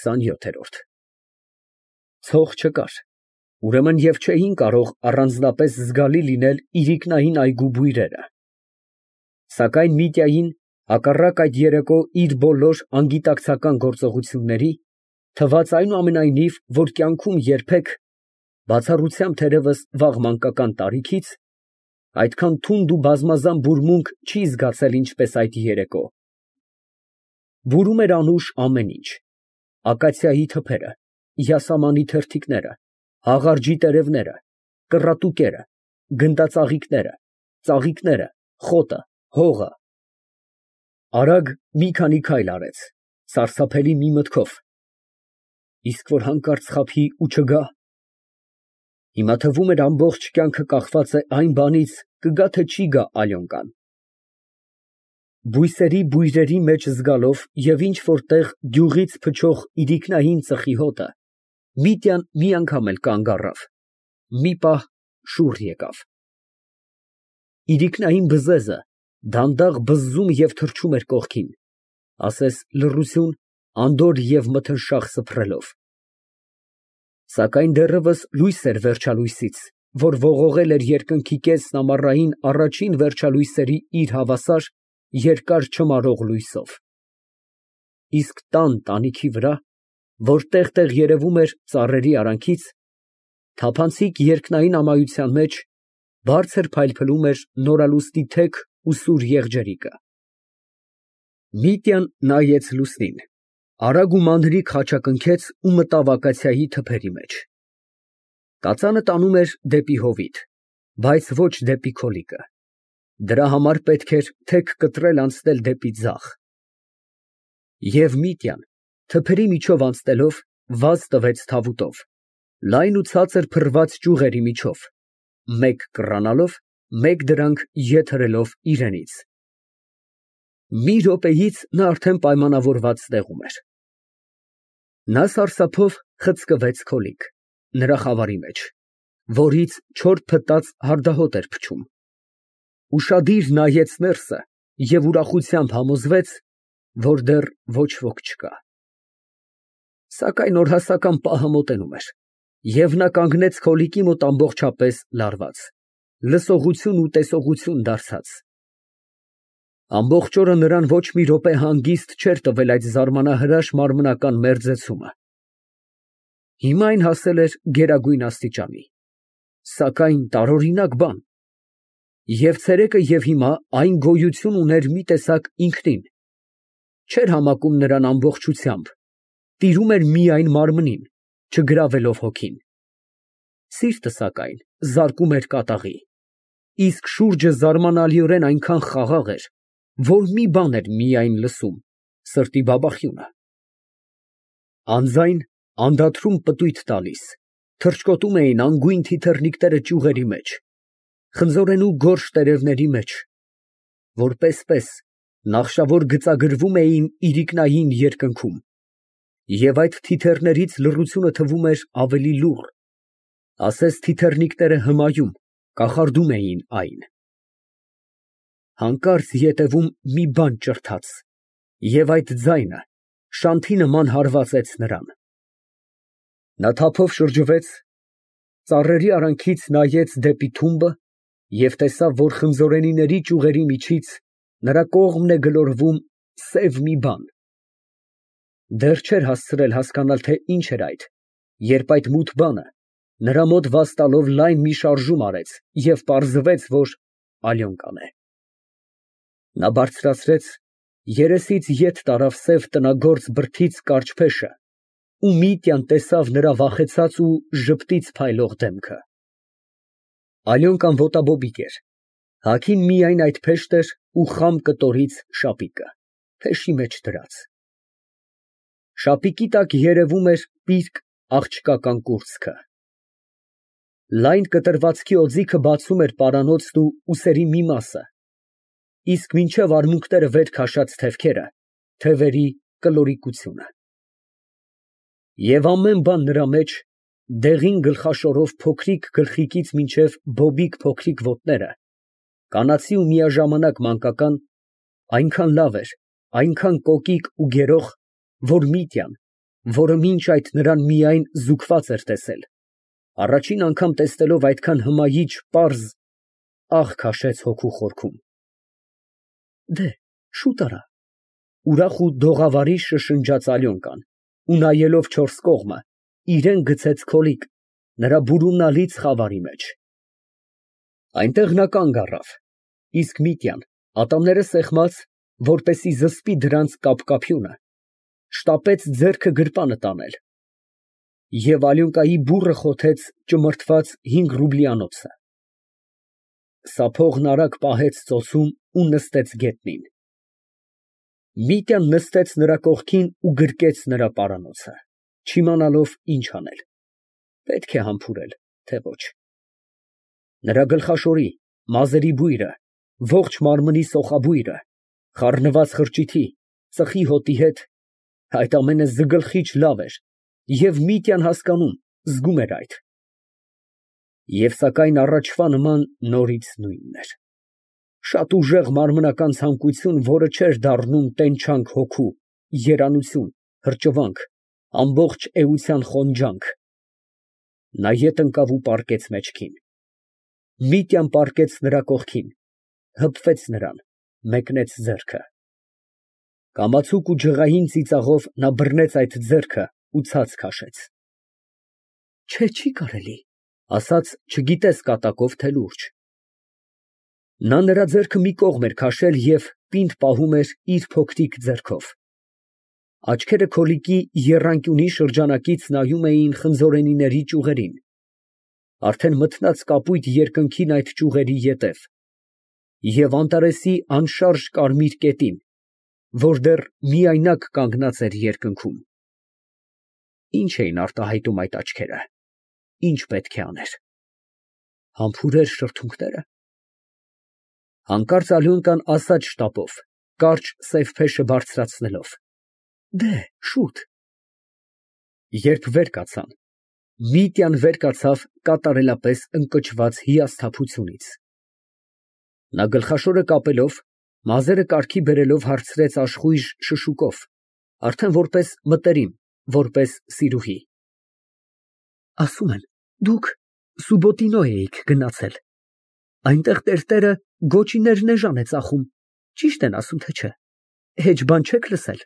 27-րդ Ցող չկար, ուրեմն և չէին կարող առանձնապես զգալի լինել իրիկնային այգու բույրերը, սակայն Միտյային, հակառակ այդ երեկո իր բոլոր անգիտակցական գործողությունների, թվաց այնուամենայնիվ, որ կյանքում երբեք, բացառությամբ թերևս վաղ մանկական տարիքից, այդքան թունդ ու բազմազան բուրմունք չի զգացել, ինչպես այդ երեկո. բուրում էր անուշ ամեն ինչ, ակացիայի թփերը, յասամանի թերթիկները, հաղարջի տերևները, կռատուկերը, գնդածաղիկները, ծաղիկները, խոտը, հողը… Արագ մի քանի քայլ արեց, սարսափելի մի մտքով. իսկ որ հանկարծ խաբի ու չգա… Հիմա թվում էր ամբողջ կյանքը կախված է այն բանից, կգա թե չի գա Ալյոնկան… Բույսերի բույրերի մեջ զգալով և ինչ֊որ տեղ գյուղից փչող իրիկնային ծխի հոտը, Միտյան մի անգամ էլ կանգ առավ, մի պահ շուռ եկավ… Իրիկնային բզեզը դանդաղ բզզում և թռչում էր կողքին, ասես լռություն, անդորր և մթնշաղ սփռելով… Սակայն դեռևս լույս էր վերջալույսից, որ ողողել էր երկնքի կեսն ամառային առաջին վերջալույսերի իր հավասար, երկար չմարող լույսով… Իսկ տան տանիքի վրա, որ տեղ֊տեղ երևում էր ծառերի արանքից, թափանցիկ երկնային ամայության մեջ, բարձր փայլփլում էր նորալուսնի թեք ու սուր եղջերիկը… Միտյան նայեց լուսնին, արագ ու մանրիկ խաչակնքեց ու մտավ ակացիայի թփերի մեջ… Կածանը տանում էր դեպի հովիտ, բայց ոչ դեպի քոլիկը, դրա համար պետք էր թեք կտրել անցնել դեպի ձախ… Եվ Միտյան, թփերի միջով անցնելով, վազ տվեց թավուտով, լայն ու ցածր փռված ճյուղերի միջով, մեկ կռանալով, մեկ դրանք ետ հրելով իրենից… Մի րոպեից նա արդեն պայմանավորված տեղում էր… Նա սարսափով խցկվեց քոլիկ, նրա խավարի մեջ, որից չոր փտած հարդահոտ էր փչում… Ուշադիր նայեց ներսը և ուրախությամբ համոզվեց, որ դեռ ոչ ոք չկա… Սակայն օրհասական պահը մոտենում էր, և նա կանգնեց քոլիկի մոտ ամբողջապես լարված, լսողություն ու տեսողություն դարձած… Ամբողջ օրը նրան ոչ մի րոպե հանգիստ չէր տվել այդ զարմանահրաշ մարմնական մերձեցումը… Հիմա այն հասել էր գերագույն աստիճանի… Սակայն տարօրինակ բան… Եվ ցերեկը և հիմա այն գոյություն ուներ մի տեսակ ինքնին, չէր համակում նրան ամբողջությամբ, տիրում էր միայն մարմնին, չգրավելով հոգին… Սիրտը, սակայն, զարկում էր կատաղի, իսկ շուրջը զարմանալիորեն այնքան խաղաղ էր, որ մի բան էր միայն լսում՝ սրտի բաբախյունը… Անձայն, անդադրում պտույտ տալիս, թռչկոտում էին անգույն թիթեռնիկները ճյուղերի մեջ, խնձորենու գորշ տերևների մեջ, որ պես֊պես նախշավոր գծագրվում էին իրիկնային երկնքում, և այդ թիթեռներից լռությունը թվում էր ավելի լուռ, ասես թիթեռնիկները հմայում, կախարդում էին այն… Հանկարծ ետևում մի բան ճրթաց, և այդ ձայնը շանթի նման հարվածեց նրան… Նա թափով շրջվեց, ծառերի արանքից նայեց դեպի թումբը և տեսավ, որ խնձորենիների ճյուղերի միջից նրա կողմն է գլորվում սև մի բան… Դեռ չէր հասցրել հասկանալ, թե ինչ էր այդ, երբ այդ մութ բանը, նրա մոտ վազ տալով, լայն մի շարժում արեց և պարզվեց, որ Ալյոնկան է… Նա բարձրացրեց, երեսից ետ տարավ սև տնագործ բրդից կարճ փեշը ու Միտյան տեսավ նրա վախեցած ու ժպտից փայլող դեմքը… Ալյոնկան ոտաբոբիկ էր, հագին միայն այդ փեշտն էր ու խամ կտորից շապիկը, փեշի մեջ դրած… Շապիկի տակ երևում էր պիրկ աղջկական կուրծքը… Լայն կտրվածքի օձիքը բացում էր պարանոցն ու ուսերի մի մասը, իսկ մինչև արմունկները վեր քաշած թևքերը, թևերի կլորիկությունը… Եվ ամեն բան նրա մեջ, դեղին գլխաշորով փոքրիկ գլխիկից մինչև բոբիկ փոքրիկ ոտները, կանացի ու միաժամանակ մանկական, այնքան լավ էր, այնքան կոկիկ ու գերող, որ Միտյան, որը մինչ այդ նրան միայն զուգված էր տեսել, առաջին անգամ տեսնելով այդքան հմայիչ, պարզ, աղ քաշեց հոգու խորքում։ Դե, շուտ արա։ Ուրախ ու դողավարի շշնջաց Ալյոնկան ու նայելով չորս կողմը, իրեն գցեց քոլիկ նրա բուրումնալից խավարի մեջ։ Այնտեղ նա կանգ առավ, իսկ Միտյան, ատամները սեղմած, որպեսզի զսպի դրանց կապկապյունը, շտապեց ձեռքը գրպանը տանել, և Ալյոնկայի բուռը խոթեց ճմրթված 5 ռուբլյանոցը։ Սափողն արագ պահեց ծոցում ու նստեց գետնին։ Միտյան նստեց նրա կողքին ու գրկեց նրա պարանոցը, չիմանալով ինչ անել, պետք է համբուրել, թե ոչ։ Նրա գլխաշորի, մազերի բույրը, ողջ մարմնի սոխաբույրը, խառնված խրճիթի, ծխի հոտի հետ, այդ ամենը զգլխիչ լավ էր, և Միտյան հասկանում, զգում էր այդ։ Եվ սակայն առաջվա նման նորից նույնն էր. շատ ուժեղ մարմնական ցանկություն, որը չէր դառնում տենչանք հոգու, երանություն, հրճվանք, ամբողջ էության խոնջանք։ Նա ետ ընկավ ու պառկեց մեջքին։ Միտյան պառկեց նրա կողքին, հպվեց նրան, մեկնեց ձեռքը։ Կամացուկ ու ջղային ծիծաղով նա բռնեց այդ ձեռքը ու ցած քաշեց։ Չէ, չի կարելի, ասաց չգիտես կատակով, թե լուրջ։ Նա նրա ձեռքը մի կողմ էր քաշել և պինդ պահում էր իր փոքրիկ ձեռքով։ Աչքերը քոլիկի եռանկյունի շրջանակից նայում էին խնձորենիների ճյուղերին, արդեն մթնած կապույտ երկնքին այդ ճյուղերի ետև, և Անտարեսի անշարժ կարմիր կետին, որ դեռ միայնակ կանգնած էր երկնքում։ Ինչ էին արտահայտում այդ աչքերը, ինչ պետք է աներ։ Համբուրեր շրթունքները։ Հանկարծ Ալյոնկան ասաց շտապով, կարճ սև փեշը բարձրացնելով. Դե, շուտ։ Երբ վեր կացան, Միտյան վեր կացավ կատարելապես ընկճված հիասթափությունից։ Նա գլխաշորը կապելով, մազերը կարգի բերելով հարցրեց աշխույժ շշուկով, արդեն որպես մտերիմ, որպես սիրուհի. Ասում են, դուք Սուբոտինո էիք գնացել, այնտեղ տերտերը գոչիներ նեժան է ծախում, ճի՞շտ են ասում, թե չէ, հեչ բան չեք լսել։